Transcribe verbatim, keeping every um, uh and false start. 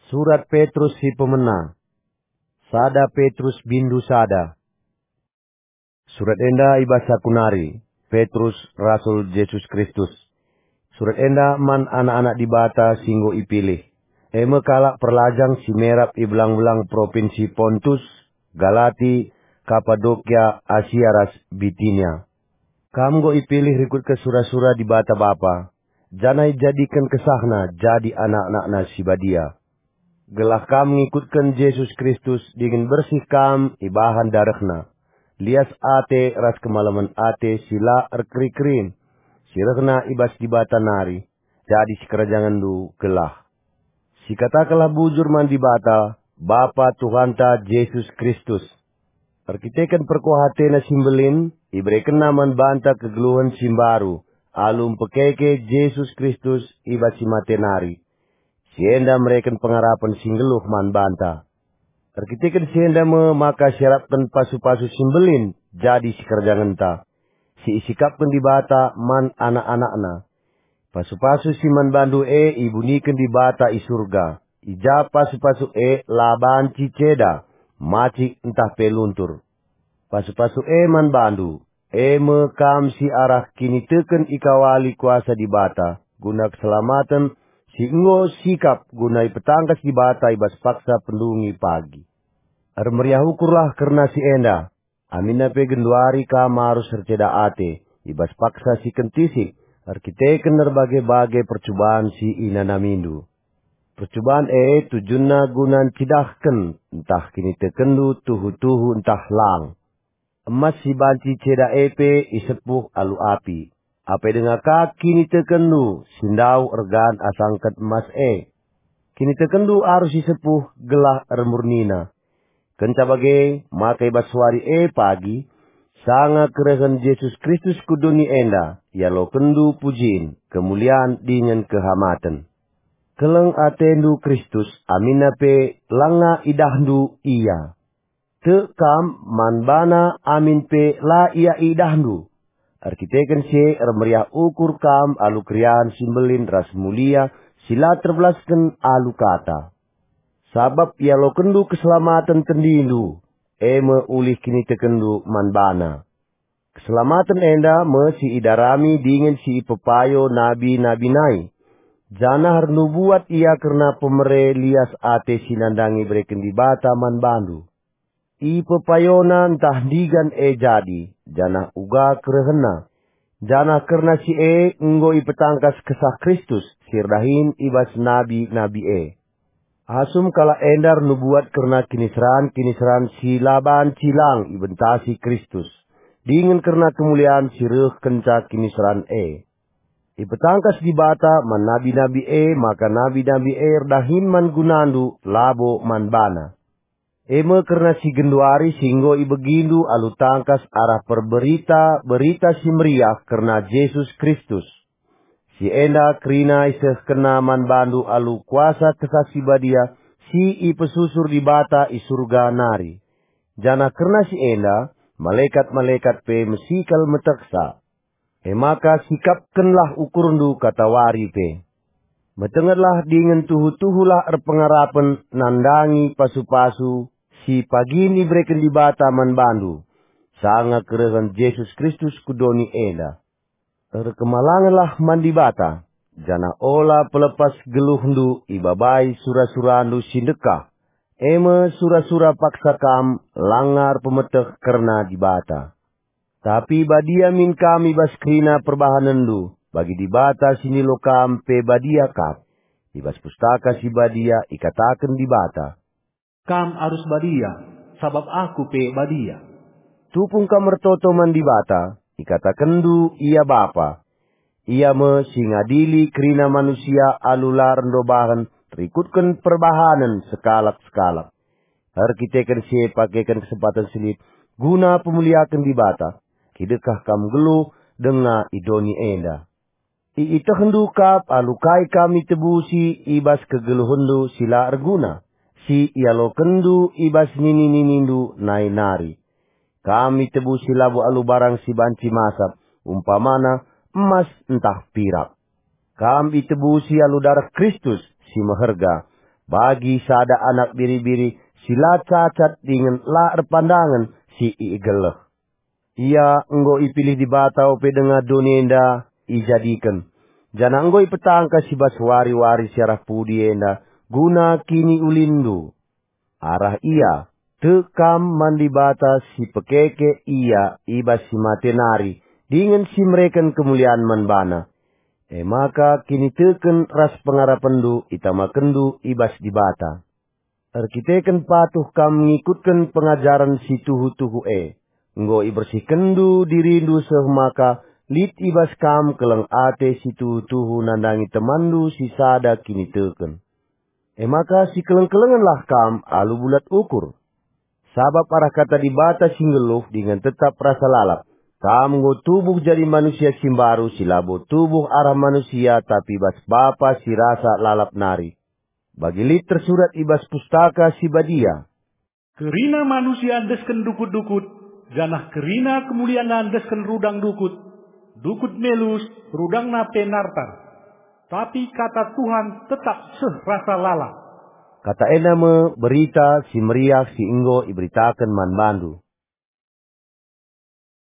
Surat Petrus si pemena. Sada Petrus bindu sada. Surat enda i bas aku nari, Petrus, rasul Jesus Kristus. Surat enda man anak-anak Dibata si enggo ipilih, e me kalak perlajang si merap i belang-belang propinsi Pontus, Galati, Kapadokia, Asia ras Bitinia. Kam enggo ipilih rikutken sura-sura Dibata Bapa, janah ijadiken kesahNa jadi anak-anakNa si badia. Gelah kam ngikutken Jesus Kristus dingen bersih kam ibahan darehNa, lias ate ras kemalemen ate si la erkeri-kerin, si rehna i bas Dibata nari, jadi sikerajangenndu gelah. Sikatakenlah bujur man Dibata, Bapa Tuhanta Jesus Kristus. Erkiteken perkuah ateNa si mbelin, iberekenNa man banta kegeluhen si mbaru, alu mpekeke Jesus Kristus i bas si mate nari. Si enda mereken pengarapen si nggeluh man banta. Erkiteken si enda me maka siarapken pasu-pasu si mbelin jadi sikerajangenta, si isikapken Dibata man anak-anakNa. Pasu-pasu si man bandu e ibuniken Dibata i Surga, i ja pasu-pasu e la banci ceda, macik ntah pe luntur. Pasu-pasu e man bandu, e me kam si arah kiniteken ikawali kuasa Dibata guna keselamaten si enggo sikap guna ipetangkas Dibata i bas paksa pendungi pagi. Ermeriah ukurlah kerna si enda, aminna pe genduari kam arus erceda ate i bas paksa si kentisik erkiteken erbage-bage percuban si inanamindu. Percuban e tujunna guna ncidahken ntah kinitekenndu tuhu-tuhu ntah lang. Emas si banci ceda e pe isepuh alu api. Apai denga ka kinitekenndu si ndauh ergan asangken emas e. Kinitekenndu arus isepuh gelah ermurnina. Kenca bage, maka i bas wari e pagi, sanga kerehen Jesus Kristus ku doni enda, ialokenndu pujin, kemulian dingen kehamaten. Keleng atendu Kristus, aminna pe langa idahndu Ia. Tek kam man baNa amin pe la ia idahndu. Erkiteken si e ermeriah ukur kam alu keriahen si mbelin ras mulia si la terbelasken alu kata. Sabap ialokenndu keselamaten tendindu, e me ulih kinitekenndu man baNa. Keselamaten enda me si idarami dingen si ipepayo nabi-nabi nai, janah ernubuat ia kerna pemere lias ate si nandangi ibereken Dibata man bandu. Ipepayona ntah ndigan e jadi, janah uga kerehenna, janah kerna si e enggo ipetangkas Kesah Kristus si erdahin i bas nabi-nabi e. Asum kalak enda ernubuat kerna kiniseran-kiniseran si la banci lang ibentasi Kristus, dingen kerna kemulian si reh kenca kiniseran e. Ipetangkas Dibata man nabi-nabi e maka nabi-nabi e erdahin man gunandu, labo man bana. E me kerna si genduari si enggo ibegindu alu tangkas arah perberita Berita Si Meriah kerna Jesus Kristus. Si enda kerina isehkenna man bandu alu kuasa Kesah Si Badia si ipesusur Dibata i Surga nari. Janah kerna si enda, malekat-malekat pe mesi kal metehsa. E maka sikapkenlah ukurndu katawari pe. Metengetlah dingen tuhu-tuhulah erpengarapen nandangi pasu-pasu si pagin ibereken Dibata man bandu, sanga kerehen Jesus Kristus ku doni enda. Erkemalangenlah man Dibata, janah ola pelepas geluhndu ibabai sura-surandu si ndekah, e me sura-sura paksa kam langa erpemeteh kerna Dibata. Tapi badia min kam i bas kerina perbahanenndu, bagi Dibata si nilo kam pe badia kap. I bas Pustaka Si Badia ikataken Dibata, "Kam arus badia, sabap Aku pe badia." Tupung kam ertoto man Dibata, ikatakenndu Ia Bapa. Ia me si ngadili kerina manusia alu la erndobahen rikutken perbahanen sekalak-sekalak. Erkiteken si e pakeken kesempaten si lit guna pemuliaken Dibata, kidekah kam nggeluh denga i doni enda. Iitehndu kap alu kai kam itebusi i bas kegeluhenndu si la erguna, si ialokenndu i bas nini-ninindu nai nari. Kam itebusi labo alu barang si banci masap, umpamana emas ntah pirak. Kam itebusi alu dareh Kristus si meherga, bagi sada anak biri-biri si la cacat dingen la erpandangen si igeleh. Ia enggo ipilih Dibata ope denga doni enda ijadiken, janah enggo ipetangkas i bas wari-wari si arah pudi enda guna kiniulinndu. Arah ia, tek kam man Dibata si pekeke ia i bas si mate nari, dingen si mereken kemulian man baNa. E maka kiniteken ras pengarapenndu itamakenndu i bas Dibata. Erkiteken patuh kam ngikutken pengajaren si tuhu-tuhu e, enggo ibersihkenndu dirindu seh maka lit i bas kam keleng ate si tuhu-tuhu nandangi temanndu si sada kiniteken. E maka sikeleng-kelengenlah kam alu bulat ukur. Sabap arah kata Dibata si nggeluh dingen tetap rasa lalap, kam enggo tubuh jadi manusia si mbaru si labo tubuh arah manusia tapi bas Bapa si rasa lalap nari. Bagi lit tersurat i bas Pustaka Si Badia, "Kerina manusia endesken dukut-dukut, janah kerina kemulianna endesken rudang dukut, dukut melus, rudangna pe nartar. Tapi kata Tuhan tetap seh rasa lalap." Kata enda me berita si meriah si enggo iberitaken man bandu.